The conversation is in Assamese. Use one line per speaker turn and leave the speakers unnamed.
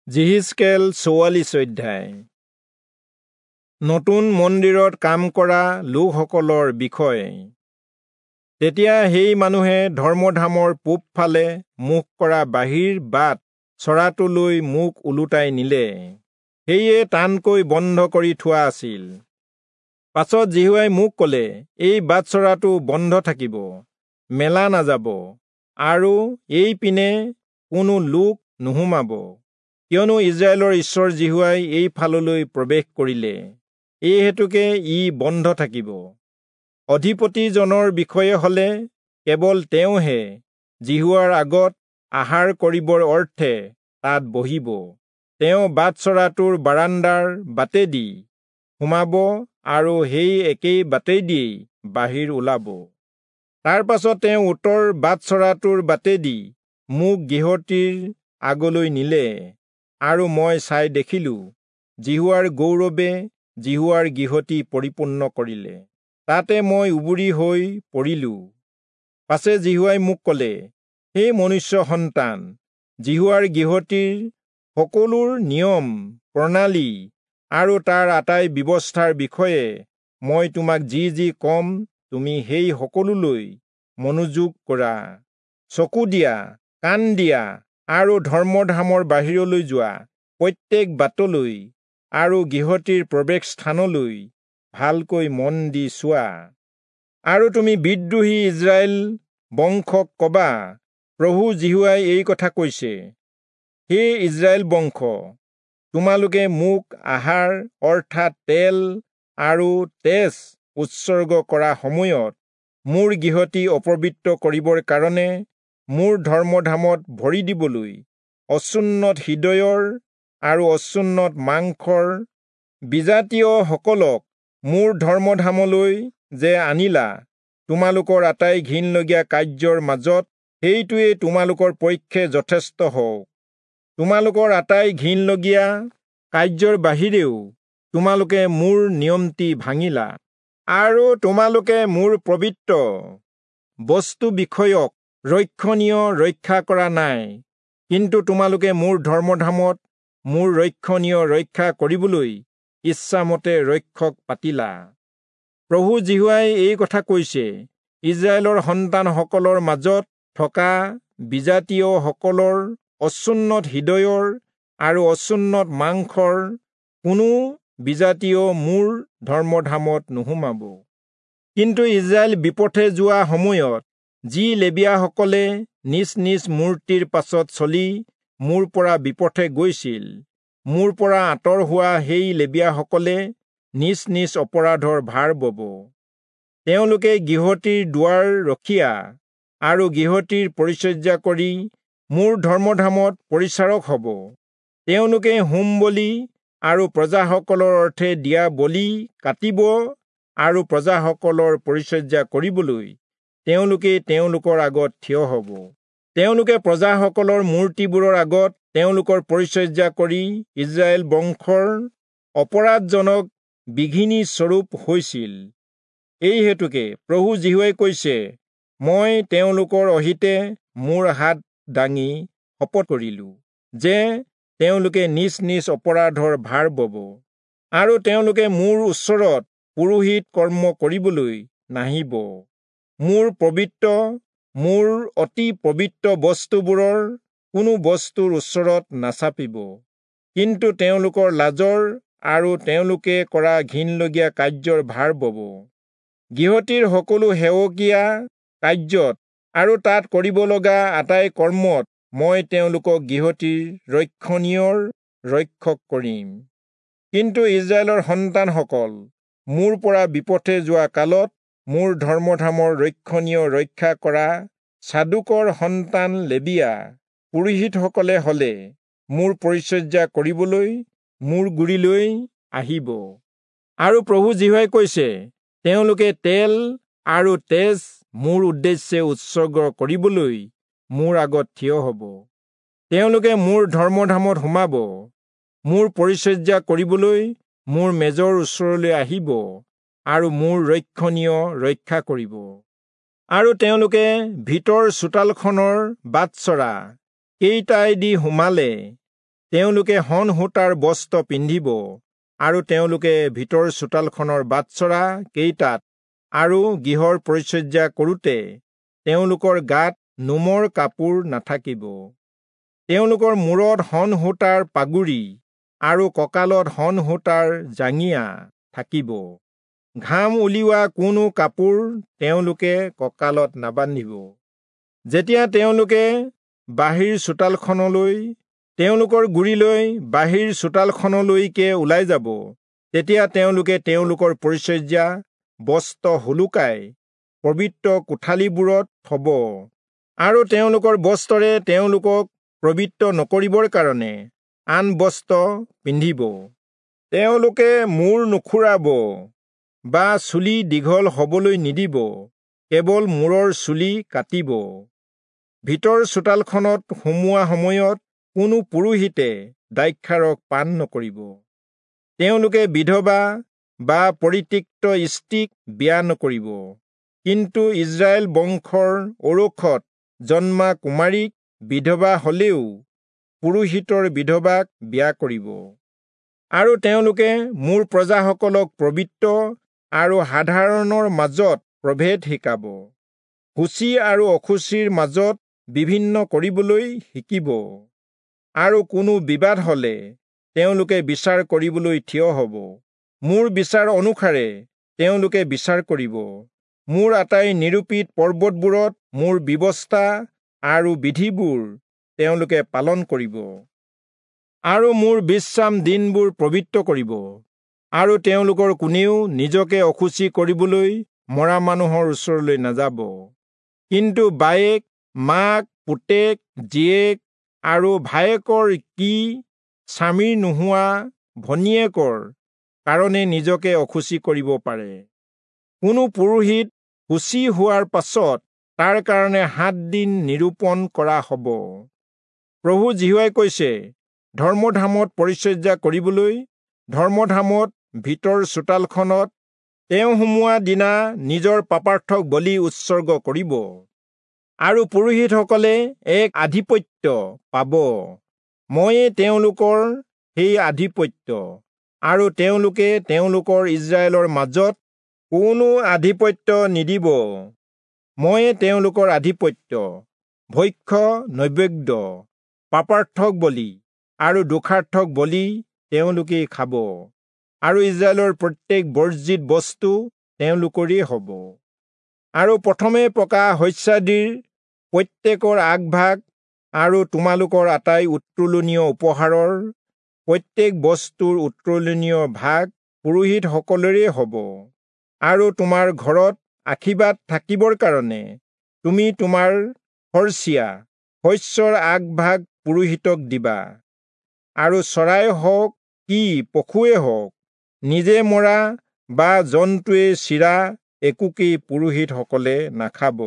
যিহিষ্কেল 44 অধ্যায়। নতুন মন্দিৰত কাম কৰা লোকসকলৰ বিষয়ে। তেতিয়া সেই মানুহে ধৰ্মধামৰ পূবফালে মুখ কৰা বাহিৰ বাট চৰাটোলৈ মোক ওলোটাই নিলে, সেয়ে টানকৈ বন্ধ কৰি থোৱা আছিল। পাছত যিহোৱাই মোক ক'লে, এই বাটচৰাটো বন্ধ থাকিব, মেলা নাযাব, আৰু এই পিনে কোনো লোক নোসোমাব, কিয়নো ইস্ৰায়েলৰ ঈশ্বৰ যিহোৱাই এই ফাললৈ প্ৰৱেশ কৰিলে, এই হেতুকে ই বন্ধ থাকিব। অধিপতিজনৰ বিষয়ে হলে কেৱল তেওঁহে যিহোৱাৰ আগত আহাৰ কৰিবৰ অৰ্থে তাত বহিব। তেওঁ বাটচৰাটোৰ বাৰাণ্ডাৰ বাটেদি সোমাব আৰু সেই একেই বাটেদিয়েই বাহিৰ ওলাব। তাৰ পাছত তেওঁ উত্তৰ বাটচৰাটোৰ বাটেদি মোক গৃহটিৰ আগলৈ নিলে, আৰু মই চাই দেখিলোঁ, যিহোৱাৰ গৌৰৱে যিহোৱাৰ গৃহটি পৰিপূৰ্ণ কৰিলে। তাতে মই উবুৰি হৈ পৰিলোঁ। পাছে যিহোৱাই মোক ক'লে, হে মনুষ্য সন্তান, যিহোৱাৰ গৃহটিৰ সকলোৰ নিয়ম প্ৰণালী আৰু তাৰ আটাই ব্যৱস্থাৰ বিষয়ে মই তোমাক যি যি কম, তুমি সেই সকলোলৈ মনোযোগ কৰা। চকু দিয়া, কাণ দিয়া, আৰু ধৰ্মধামৰ বাহিৰলৈ যোৱা প্ৰত্যেক বাটলৈ আৰু গৃহটিৰ প্ৰৱেশ স্থানলৈ ভালকৈ মন দি চোৱা। আৰু তুমি বিদ্ৰোহী ইস্ৰায়েল বংশক কবা, প্ৰভু যিহোৱাই এই কথা কৈছে, হে ইস্ৰায়েল বংশ, তোমালোকে মোক আহাৰ অৰ্থাৎ তেল আৰু তেজ উৎসৰ্গ কৰা সময়ত মোৰ গৃহটি অপবিত্ৰ কৰিবৰ কাৰণে মোৰ ধৰ্মধামত ভৰি দিবলৈ অচুন্নত হৃদয়ৰ আৰু অচুন্নত মাংসৰ বিজাতীয়সকলক মোৰ ধৰ্মধামলৈ যে আনিলা, তোমালোকৰ আটাই ঘিণলগীয়া কাৰ্যৰ মাজত সেইটোৱেই তোমালোকৰ পক্ষে যথেষ্ট হওক। তোমালোকৰ আটাই ঘিণলগীয়া কাৰ্যৰ বাহিৰেও তোমালোকে মোৰ নিয়মটি ভাঙিলা, আৰু তোমালোকে মোৰ পবিত্ৰ বস্তু বিষয়ক ৰক্ষণীয় ৰক্ষা কৰা নাই। কিন্তু তোমালোকে মোৰ ধৰ্মধামত মোৰ ৰক্ষণীয় ৰক্ষা কৰিবলৈ ইচ্ছামতে ৰক্ষক পাতিলা। প্ৰভু যিহোৱাই এই কথা কৈছে, ইস্ৰায়েলৰ সন্তানসকলৰ মাজত থকা বিজাতীয়সকলৰ অচুন্নত হৃদয়ৰ আৰু অচুন্নত মাংসৰ কোনো বিজাতীয় মোৰ ধৰ্মধামত নোসোমাব। কিন্তু ইস্ৰায়েল বিপথে যোৱা সময়ত যি লেবীয়াসকলে নিজ নিজ মূৰ্তিৰ পাছত চলি মোৰ পৰা বিপথে গৈছিল, মোৰ পৰা আঁতৰ হোৱা সেই লেবীয়াসকলে নিজ নিজ অপৰাধৰ ভাৰ বব। তেওঁলোকে গৃহটিৰ দুৱাৰ ৰখীয়া আৰু গৃহটিৰ পৰিচৰ্যা কৰি মোৰ ধৰ্মধামত পৰিচাৰক হ'ব। তেওঁলোকে হোম বলি আৰু প্ৰজাসকলৰ অৰ্থে দিয়া বলি কাটিব আৰু প্ৰজাসকলৰ পৰিচৰ্যা কৰিবলৈ তেওঁলোকে তেওঁলোকৰ আগত থিয় হ'ব। তেওঁলোকে প্ৰজাসকলৰ মূৰ্তিবোৰৰ আগত তেওঁলোকৰ পৰিচৰ্যা কৰি ইস্ৰায়েল বংশৰ অপৰাধজনক বিঘিনি স্বৰূপ হৈছিল। এই হেতুকে প্ৰভু যিহোৱাই কৈছে, মই তেওঁলোকৰ অহিতে মোৰ হাত দাঙি শপত কৰিলোঁ যে তেওঁলোকে নিজ নিজ অপৰাধৰ ভাৰ বব, আৰু তেওঁলোকে মোৰ ওচৰত পুৰোহিত কৰ্ম কৰিবলৈ নাহিব। মোৰ পবিত্ৰ, মোৰ অতি পবিত্ৰ বস্তুবোৰৰ কোনো বস্তুৰ ওচৰত নাচাপিব, কিন্তু তেওঁলোকৰ লাজৰ আৰু তেওঁলোকে কৰা ঘিণলগীয়া কাৰ্যৰ ভাৰ বব। গৃহটিৰ সকলো সেৱকীয়া কাৰ্যত আৰু তাত কৰিব লগা আটাই কৰ্মত মই তেওঁলোকক গৃহটিৰ ৰক্ষণীয়ৰ ৰক্ষক কৰিম। কিন্তু ইস্ৰায়েলৰ সন্তানসকল মোৰ পৰা বিপথে যোৱা কালত মোৰ ধৰ্মধামৰ ৰক্ষণীয় ৰক্ষা কৰা চাদুকৰ সন্তান লেবীয়া পুৰোহিতসকলে হলে মোৰ পৰিচৰ্যা কৰিবলৈ মোৰ গুৰিলৈ আহিব। আৰু প্ৰভু যিহোৱাই কৈছে, তেওঁলোকে তেল আৰু তেজ মোৰ উদ্দেশ্যে উৎসৰ্গ কৰিবলৈ মোৰ আগত থিয় হ'ব। তেওঁলোকে মোৰ ধৰ্মধামত সোমাব, মোৰ পৰিচৰ্যা কৰিবলৈ মোৰ মেজৰ ওচৰলৈ আহিব আৰু মোৰ ৰক্ষণীয় ৰক্ষা কৰিব। আৰু তেওঁলোকে ভিতৰ চোতালখনৰ বাটচৰা কেইটাইদি সোমালে তেওঁলোকে শণ সূতাৰ বস্ত্ৰ পিন্ধিব আৰু তেওঁলোকে ভিতৰ চোতালখনৰ বাটচৰা কেইটাত আৰু গৃহৰ পৰিচৰ্যা কৰোঁতে তেওঁলোকৰ গাত নোমৰ কাপোৰ নাথাকিব। তেওঁলোকৰ মূৰত শণ সূতাৰ পাগুৰি আৰু কঁকালত শণ সূতাৰ জাঙিয়া থাকিব। ঘাম উলিওৱা কোনো কাপোৰ তেওঁলোকে কঁকালত নাবান্ধিব। যেতিয়া তেওঁলোকে বাহিৰ চোতালখনলৈ তেওঁলোকৰ গুৰিলৈ বাহিৰ চোতালখনলৈকে ওলাই যাব, তেতিয়া তেওঁলোকে তেওঁলোকৰ পৰিচৰ্যা বস্ত্ৰ সোলোকাই পবিত্ৰ কোঠালিবোৰত থব আৰু তেওঁলোকৰ বস্ত্ৰৰে তেওঁলোকক পবিত্ৰ নকৰিবৰ কাৰণে আন বস্ত্ৰ পিন্ধিব। তেওঁলোকে মূৰ নুখুৰাব বা চুলি দীঘল হবলৈ নিদিব, কেৱল মূৰৰ চুলি কাটিব। ভিতৰ চোতালখনত সোমোৱা সময়ত কোনো পুৰোহিতে দ্ৰাক্ষাৰস পান নকৰিব। তেওঁলোকে বিধৱা বা পৰিত্যক্ত স্ত্ৰীক বিয়া নকৰিব, কিন্তু ইস্ৰায়েল বংশৰ ঔৰসত জন্মা কুমাৰীক বিধৱা হলেও পুৰোহিতৰ বিধৱাক বিয়া কৰিব। আৰু তেওঁলোকে মোৰ প্ৰজাসকলক পবিত্ৰ আৰু সাধাৰণৰ মাজত প্ৰভেদ শিকাব, শুচি আৰু অশুচিৰ মাজত বিভিন্ন কৰিবলৈ শিকিব। আৰু কোনো বিবাদ হলে তেওঁলোকে বিচাৰ কৰিবলৈ থিয় হব। মোৰ বিচাৰ অনুসাৰে তেওঁলোকে বিচাৰ কৰিব। মোৰ আটাই নিৰূপিত পৰ্বতবোৰত মোৰ ব্যৱস্থা আৰু বিধিবোৰ তেওঁলোকে পালন কৰিব আৰু মোৰ বিশ্ৰাম দিনবোৰ পবিত্ৰ কৰিব। আৰু তেওঁলোকৰ কোনেও নিজকে অশুচি কৰিবলৈ মৰা মানুহৰ ওচৰলৈ নাযাব, কিন্তু বায়েক, মাক, পুতেক, জীয়েক আৰু ভায়েকৰ কি স্বামীৰ নোহোৱা ভনীয়েকৰ কাৰণে নিজকে অশুচি কৰিব পাৰে। কোনো পুৰোহিত শুচি হোৱাৰ পাছত তাৰ কাৰণে 7 দিন নিৰূপণ কৰা হ'ব। প্ৰভু যিহোৱাই কৈছে, ধৰ্মধামত পৰিচৰ্যা কৰিবলৈ ধৰ্মধামত ভিতৰ চোতালখনত তেওঁ সোমোৱা দিনা নিজৰ পাপাৰ্থক বলি উৎসৰ্গ কৰিব আৰু পুৰোহিতসকলে এক আধিপত্য পাব। ময়ে তেওঁলোকৰ সেই আধিপত্য, আৰু তেওঁলোকে তেওঁলোকৰ ইস্ৰায়েলৰ মাজত কোনো আধিপত্য নিদিব। ময়ে তেওঁলোকৰ আধিপত্য। ভক্ষ্য নৈবেদ্য, পাপাৰ্থক বলি আৰু দোষাৰ্থক বলি তেওঁলোকেই খাব, আৰু ইস্ৰায়েলৰ প্ৰত্যেক বৰ্জিত বস্তু তেওঁলোকৰেই হ'ব। আৰু প্ৰথমে পকা শস্যাদিৰ প্ৰত্যেকৰ আগভাগ আৰু তোমালোকৰ আটাই উত্তোলনীয় উপহাৰৰ প্ৰত্যেক বস্তুৰ উত্তোলনীয় ভাগ পুৰোহিতসকলৰে হ'ব। আৰু তোমাৰ ঘৰত আশীৰ্বাদ থাকিবৰ কাৰণে তুমি তোমাৰ খৰচীয়া শস্যৰ আগভাগ পুৰোহিতক দিবা। আৰু চৰাই হওক কি পশুৱে হওক, নিজে মৰা বা জন্তুৱে চিৰা একোকেই পুৰোহিতসকলে নাখাব।